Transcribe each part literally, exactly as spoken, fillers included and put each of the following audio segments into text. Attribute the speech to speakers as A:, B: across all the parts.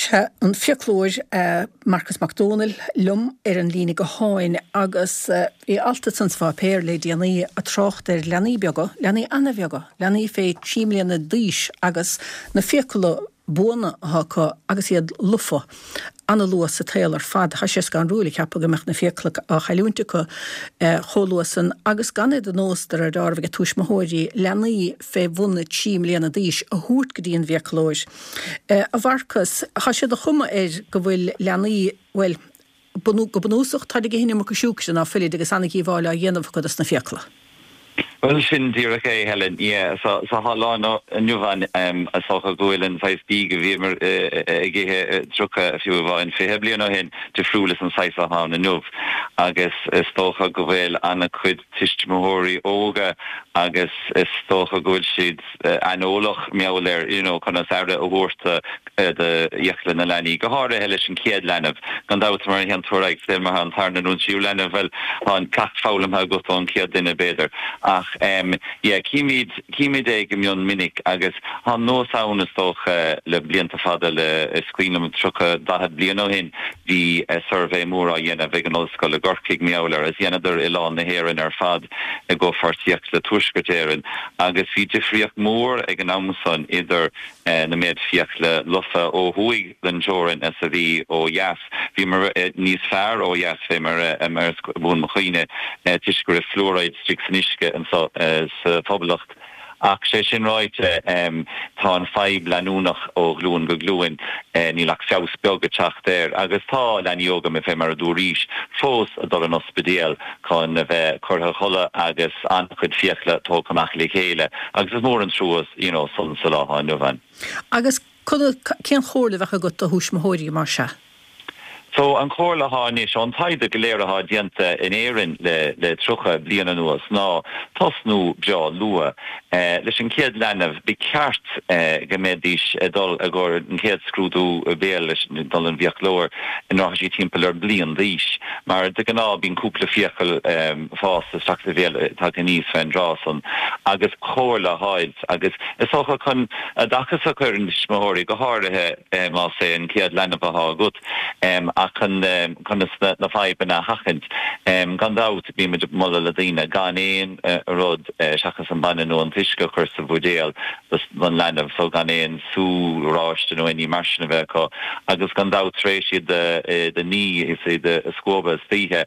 A: Sea, an fiaclóir Marcas Mac Dónaill liom ar an líne gutháin agus bhí alt ansan sa pháipéar le déanaí ag trácht ar leanaí beaga, leanaí an-bheaga, leanaí fé trí mbliana d'aois agus na fiacla buana atá acu agus iad lofa an-luath sa tsaol ar fad. Tá sé scanrúil a cheapadh go mbeadh na fiacla á chailliúint acu chomh luath san agus gan é de nós de réir dealraimh ag tuismitheoirí leanaí fé bhun trí mbliana d'aois a thabhairt go dtí an bhfiaclóir. A Mharcas, tá sé de chuma air go bhfuil leanaí, bhuel, go bunúsach, táid ag ithe an iomarca siúcra ná fuilid agus an-dhíobháil á dhéanamh acu dos na fiacla.
B: Bhuel, sin díreach é, Helen. Yeah, so sa lá inniu ann, is dócha go bhfuil an saghas bídh a bhíomar ag ithe tríocha, fiú amháin fiche bliain ó shin, difriúil leis an saghas atá ann inniu. Agus is dócha go bhfuil an-chuid tuismitheoirí óga agus is dócha go bhfuil siad aineolach mar gheall ar, you know, conas aire a thabhairt do fhiacla na leanaí, go háirithe leis an chéad leanbh. Gan dabht, mar a théann tú ar aghaidh, sa saol, mar an tarna nó an tríú leanbh, bhuel, tá an ceacht foghlamtha agat ón chéad duine, b'fhéidir. Ach em yeah, címid, címid é go mion minic agus tá an nós ann is dócha le blianta fada, le, is cuimhin liom tríocha, daichead bliain ó shin bhí suirbhé mór á dhéanamh ag an ollscoil i gCorcaigh, mar gheall air, agus dheineadar oileán na hÉireann ar fad i gcomhpháirtíocht le Tuaisceart Éireann agus bhí difríocht mhór ag an am san idir na méid fiacla lofa ó thuaidh den teorainn is a bhí ó dheas. Bhíomar níos fearr ó dheas fé mar is buan mo chuimhne toisc go raibh fluoride istigh san uisce anso sa Phoblacht. Ach sé sin ráite, tá an fadhb leanúnach ó ghlúin go glúin, níl ach feabhas beag ag teacht air agus tá leanaí óga, fé mar a dúraís, fós ag dul an ospidéal chun a bheith curtha a chodladh agus an-chuid fiacla tógtha amach le chéile agus is mór an trua you know san sa lá atá inniu ann.
A: Agus cén chomhairle a bheadh agat do thuismitheoirí mar seo?
B: So, an chomhairle atá anois, ón taighde go léir atá déanta in Éirinn le le tríocha bliain anuas, ná tosnú breá luath. Leis an chéad leanbh, ba cheart go mbeidís ag dul i gcomhair an chéad scrúdú béil leis dul an bhfiaclóir nuair atá siad timpeall ar bliain d'aois, mar de ghnáth bíonn cúpla fiacail fásta isteach sa bhéal tagtha aníos fén dtráth san. Agus comhairle a fháilt agus is dócha chun oideachas a chur ar na tuismitheoirí, go háirithe más é an chéad leanbh atá agat. Ach chun conas na fadhbanna a sheachaint, gan dabht, bímid ag moladh le daoine gan aon rud seachas an bainne nó an t-uisce a chur sa bhuidéal don leanbh, so gan aon sú oráiste nó aon ní mar sin a bheith acu, agus gan dabht tar éis iad a ní is iad a scuabadh istoíche,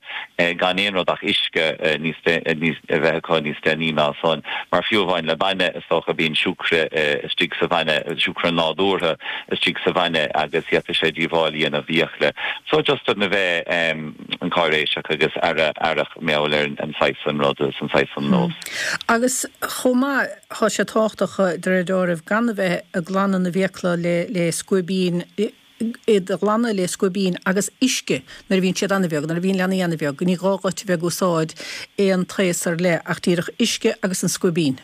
B: gan aon rud ach uisce níos a bheith acu níos déanaí ná san. Mar fiú amháin le bainne, is dócha, bíonn siúcra istigh sa bhainne, siúcra nádúrtha istigh sa bhainne agus d'fhéadfadh sé díobháil a dhéanamh d'fhiacla. So just chun a bheith an cáiréiseach agus aire aireach mar gheall ar an saghas san rud is an saghas san nós.
A: Agus chomh maith, tá sé tábhachtach de réir dealraimh gan a bheith ag glanadh na bhfiacla le le scuaibín, iad a ghlanadh le scuaibín agus uisce nuair a bhíonn siad an-bheag, nuair a bhíonn leanaí an-bheag, ní gá dhuit a bheith ag úsáid aon taos ar leith ach díreach uisce agus an scuaibín.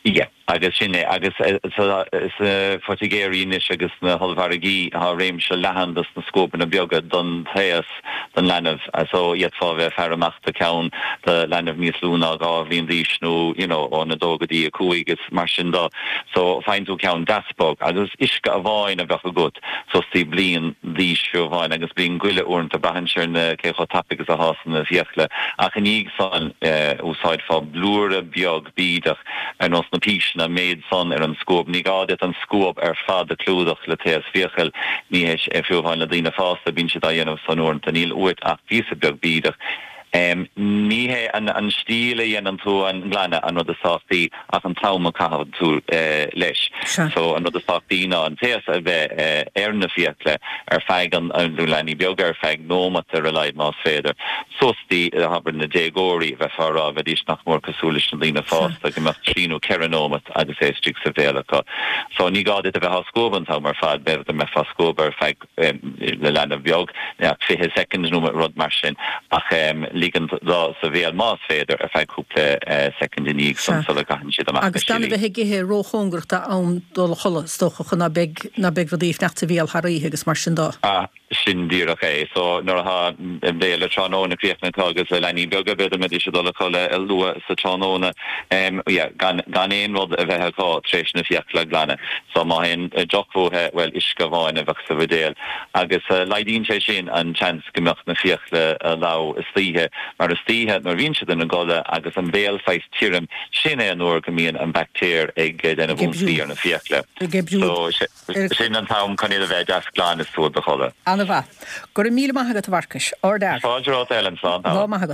B: Yeah, agus sin é. Agus sna poitigéirí anois agus sna hollmhargaí tá réimse leathan dos na scuabanna beaga don taos don leanbh. So d'fhéadfá a bheith ag faire amach do ceann do leanbh níos lú ná dhá bhliain d'aois nó you know ón a dó go dtí a cúig is mar sin do. So faigheann tú ceann deas bog agus uisce amháin a bheadh agat suas dtí bliain d'aois fiú amháin agus bliain go leith uaireanta braitheann sé ar na cé chomh tapaidh is a fhásann na fiacla ach i ndiaidh san úsáidfeá blúire beag bídeach ar nós na píseanna, an méid san ar an scuab. Ní gá duit an scuab ar fad a chlúdach le taos fiacal, ní hé sin, fiú amháin le daoine fásta, bíonn siad á dhéanamh san uaireanta, níl uait ach píosa beag bídeach. Ní hé an stíl a dhéanann tú an glanadh an rud is tábhachtaí ach an t-am a chaitheann tú leis. So an rud is tábhachtaí ná an taos a bheith ar na fiacla ar feadh an, do leanaí beaga ar feadh nóimeat ar a laghad más féidir. Suas dtí, abair, na déagóirí, bheifeá a rá, bheidís nach mór cosúil leis na daoine fásta, go mbeadh trí nó ceithre nóimeat agus é istigh sa bhéal acu. So, ní gá duit a bheith á scuabadh an t-am ar fad, b'fhéidir go mbeifeá á scuabadh ar feadh, le leanbh beag, fiche soicind nó rud mar sin, ach ligean dó sa bhéal, más féidir, ar feadh cúpla soicind i ndiaidh san sula gcaitheann siad amach na
A: Agus gan a
B: sillí.
A: bheith ag ithe róchóngarach do am dul a chodladh, is dócha, chun ná beidh, ná beidh rudaí ag fanacht sa bhéal thar oíche agus mar sin dó.
B: Ah, Sin díreach é. So nuair atá an béile tráthnóna críochnaithe agus le leanaí beaga b'fhéidir mbeidís ag dul a chodladh luath sa tráthnóna um, yeah, gan, gan aon rud a bheith acu tar éis na fiacla a ghlanadh. So má théann deoch uathu well uisce amháin a bheadh sa bhuidéal. Agus uh, laghdaíonn sé sin an chance go mbeadh na fiacla uh, leamh istoíche mar istoíche nuair a bhíonn siad ina gcodladh agus an béal saghas tirim sin é an uair go mbíonn an baictéar ag déanamh ionsaí ar na fiacla. So sin an t-am chun iad a bheith deas glan is tú do chodladh.
A: An-mhaith. Go raibh míle maith agat a Mharcais. Ardfhear.
B: Fáilte romhat Ellen slán.
A: Lá maith agat.